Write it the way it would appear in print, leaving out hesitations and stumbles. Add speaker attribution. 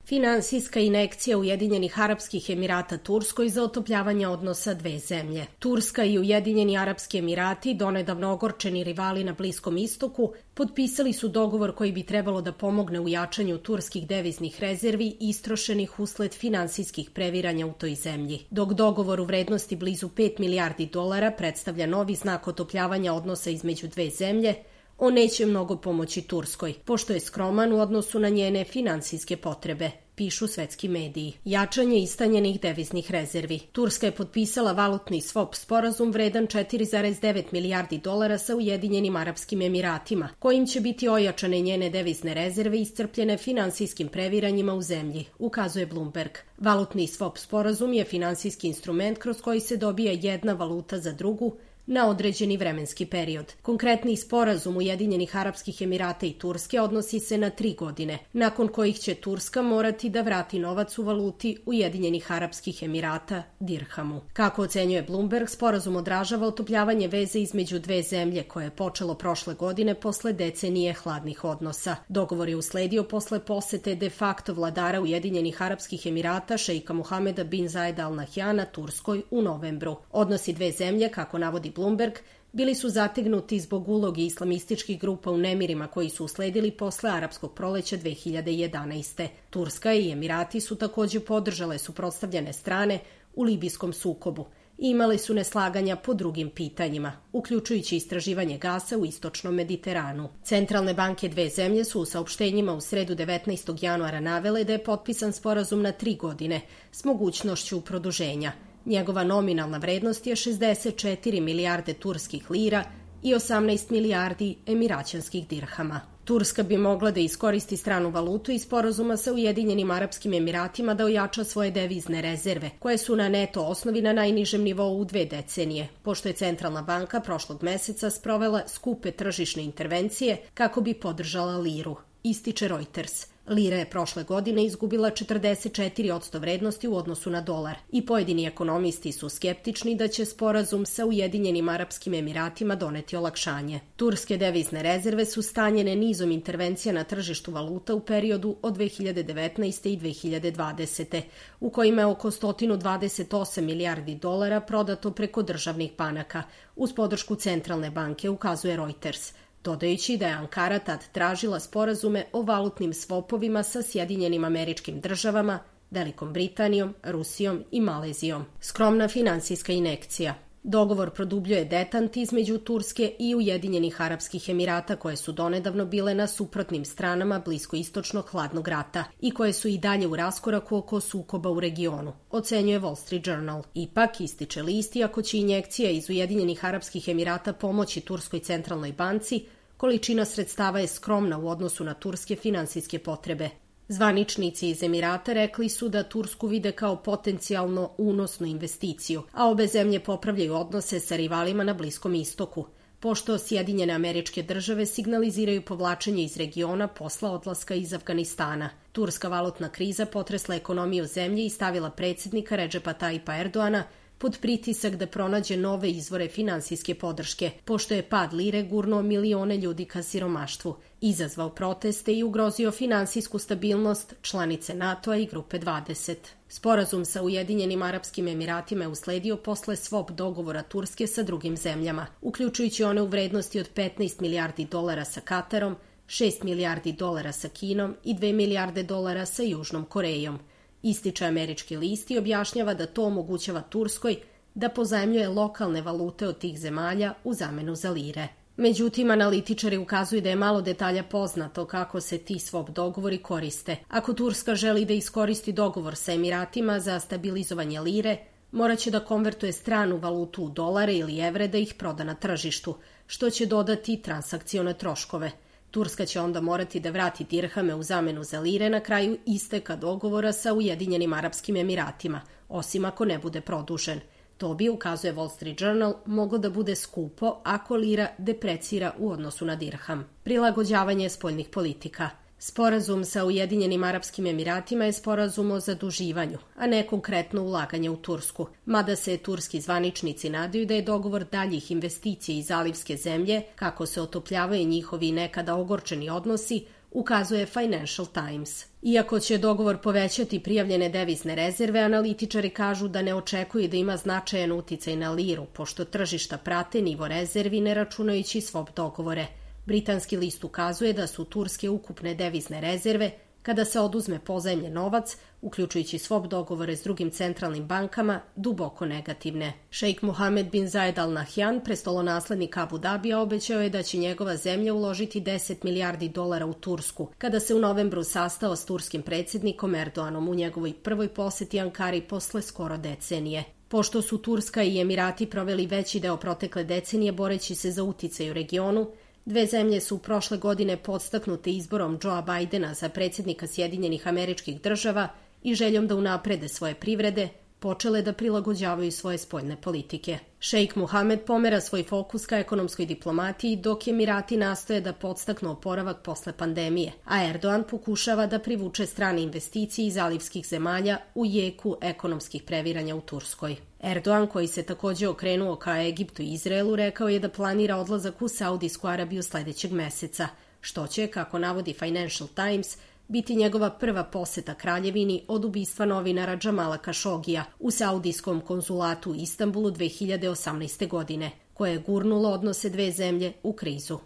Speaker 1: Finansijska injekcija Ujedinjenih Arapskih Emirata Turskoj za otopljavanje odnosa dve zemlje. Turska i Ujedinjeni Arapski Emirati, donedavno ogorčeni rivali na Bliskom istoku, potpisali su dogovor koji bi trebalo da pomogne u jačanju turskih deviznih rezervi istrošenih usled finansijskih previranja u toj zemlji. Dok dogovor u vrednosti blizu 5 milijardi dolara predstavlja novi znak otopljavanja odnosa između dve zemlje, on neće mnogo pomoći Turskoj, pošto je skroman u odnosu na njene finansijske potrebe, pišu svetski mediji. Jačanje istanjenih deviznih rezervi. Turska je potpisala valutni swap sporazum vredan 4,9 milijardi dolara sa Ujedinjenim Arapskim Emiratima, kojim će biti ojačane njene devizne rezerve iscrpljene finansijskim previranjima u zemlji, ukazuje Bloomberg. Valutni swap sporazum je finansijski instrument kroz koji se dobija jedna valuta za drugu, na određeni vremenski period. Konkretni sporazum Ujedinjenih Arapskih Emirata i Turske odnosi se na 3 godine, nakon kojih će Turska morati da vrati novac u valuti Ujedinjenih Arapskih Emirata, dirhamu. Kako ocenjuje Bloomberg, sporazum odražava otopljavanje veze između dve zemlje koje je počelo prošle godine posle decenije hladnih odnosa. Dogovor je usledio posle posete de facto vladara Ujedinjenih Arapskih Emirata šeika Mohameda bin Zayeda Al Nahyana Turskoj u novembru. Odnosi dve zemlje, kako navodi Bloomberg, bili su zategnuti zbog uloge islamističkih grupa u nemirima koji su usledili posle arapskog proleća 2011. Turska i Emirati su takođe podržale suprotstavljene strane u libijskom sukobu i imali su neslaganja po drugim pitanjima, uključujući istraživanje gasa u istočnom Mediteranu. Centralne banke dve zemlje su u saopštenjima u sredu 19. januara navele da je potpisan sporazum na 3 godine s mogućnošću produženja. Njegova nominalna vrednost je 64 milijarde turskih lira i 18 milijardi emiraćanskih dirhama. Turska bi mogla da iskoristi stranu valutu iz sporazuma sa Ujedinjenim Arapskim Emiratima da ojača svoje devizne rezerve, koje su na neto osnovi na najnižem nivou u 2 decenije, pošto je Centralna banka prošlog meseca sprovela skupe tržišne intervencije kako bi podržala liru, ističe Reuters. Lira je prošle godine izgubila 44% vrednosti u odnosu na dolar i pojedini ekonomisti su skeptični da će sporazum sa Ujedinjenim Arapskim Emiratima doneti olakšanje. Turske devizne rezerve su stanjene nizom intervencija na tržištu valuta u periodu od 2019. i 2020. u kojima je oko 128 milijardi dolara prodato preko državnih banaka uz podršku Centralne banke, ukazuje Reuters, dodajući da je Ankara tad tražila sporazume o valutnim svopovima sa Sjedinjenim Američkim Državama, Velikom Britanijom, Rusijom i Malezijom. Skromna finansijska injekcija. Dogovor produbljuje detant između Turske i Ujedinjenih Arapskih Emirata, koje su donedavno bile na suprotnim stranama bliskoistočnog hladnog rata i koje su i dalje u raskoraku oko sukoba u regionu, ocenjuje Wall Street Journal. Ipak, ističe list, iako će injekcija iz Ujedinjenih Arapskih Emirata pomoći Turskoj centralnoj banci, količina sredstava je skromna u odnosu na turske finansijske potrebe. Zvaničnici iz Emirata rekli su da Tursku vide kao potencijalno unosnu investiciju, a obe zemlje popravljaju odnose sa rivalima na Bliskom istoku, pošto Sjedinjene Američke Države signaliziraju povlačenje iz regiona posla odlaska iz Afganistana. Turska valutna kriza potresla ekonomiju zemlje i stavila predsjednika Redžepa Tajipa Erdoana pod pritisak da pronađe nove izvore finansijske podrške, pošto je pad lire gurnuo milione ljudi ka siromaštvu, izazvao proteste i ugrozio finansijsku stabilnost članice NATO-a i Grupe 20. Sporazum sa Ujedinjenim Arapskim Emiratima je usledio posle swap dogovora Turske sa drugim zemljama, uključujući one u vrednosti od 15 milijardi dolara sa Katarom, 6 milijardi dolara sa Kinom i 2 milijarde dolara sa Južnom Korejom. Ističe američki list i objašnjava da to omogućava Turskoj da pozajmljuje lokalne valute od tih zemalja u zamenu za lire. Međutim, analitičari ukazuju da je malo detalja poznato kako se ti swap dogovori koriste. Ako Turska želi da iskoristi dogovor sa Emiratima za stabilizovanje lire, morat će da konvertuje stranu valutu u dolare ili evre da ih proda na tržištu, što će dodati transakcione troškove. Turska će onda morati da vrati dirhame u zamenu za lire na kraju isteka dogovora sa Ujedinjenim Arapskim Emiratima, osim ako ne bude produžen. To bi, ukazuje Wall Street Journal, moglo da bude skupo ako lira deprecira u odnosu na dirham. Prilagođavanje spoljnih politika. Sporazum sa Ujedinjenim Arapskim Emiratima je sporazum o zaduživanju, a ne konkretno ulaganje u Tursku, mada se turski zvaničnici nadaju da je dogovor daljih investicija iz zalivske zemlje, kako se otopljavaju njihovi nekada ogorčeni odnosi, ukazuje Financial Times. Iako će dogovor povećati prijavljene devizne rezerve, analitičari kažu da ne očekuju da ima značajan uticaj na liru, pošto tržišta prate nivo rezervi ne računajući swap dogovore. Britanski list ukazuje da su turske ukupne devizne rezerve, kada se oduzme pozajmljen novac, uključujući swap dogovore s drugim centralnim bankama, duboko negativne. Šejk Mohamed bin Zayed Al Nahyan, prestolonaslednik Abu Dabija, obećao je da će njegova zemlja uložiti 10 milijardi dolara u Tursku, kada se u novembru sastao s turskim predsjednikom Erdoganom u njegovoj prvoj poseti Ankari posle skoro decenije. Pošto su Turska i Emirati proveli veći deo protekle decenije boreći se za uticaj u regionu, dve zemlje su prošle godine podstaknute izborom Joea Bidena za predsjednika Sjedinjenih Američkih Država i željom da unaprede svoje privrede, počele da prilagođavaju svoje spoljne politike. Šejk Mohamed pomera svoj fokus ka ekonomskoj diplomatiji, dok Emirati nastoje da podstaknu oporavak posle pandemije, a Erdogan pokušava da privuče strane investicije iz zalivskih zemalja u jeku ekonomskih previranja u Turskoj. Erdogan, koji se takođe okrenuo ka Egiptu i Izraelu, rekao je da planira odlazak u Saudijsku Arabiju sledećeg meseca, što će, kako navodi Financial Times, biti njegova prva poseta kraljevini od ubistva novinara Džamala Kašogija u saudijskom konzulatu u Istanbulu 2018. godine, koje je gurnulo odnose dve zemlje u krizu.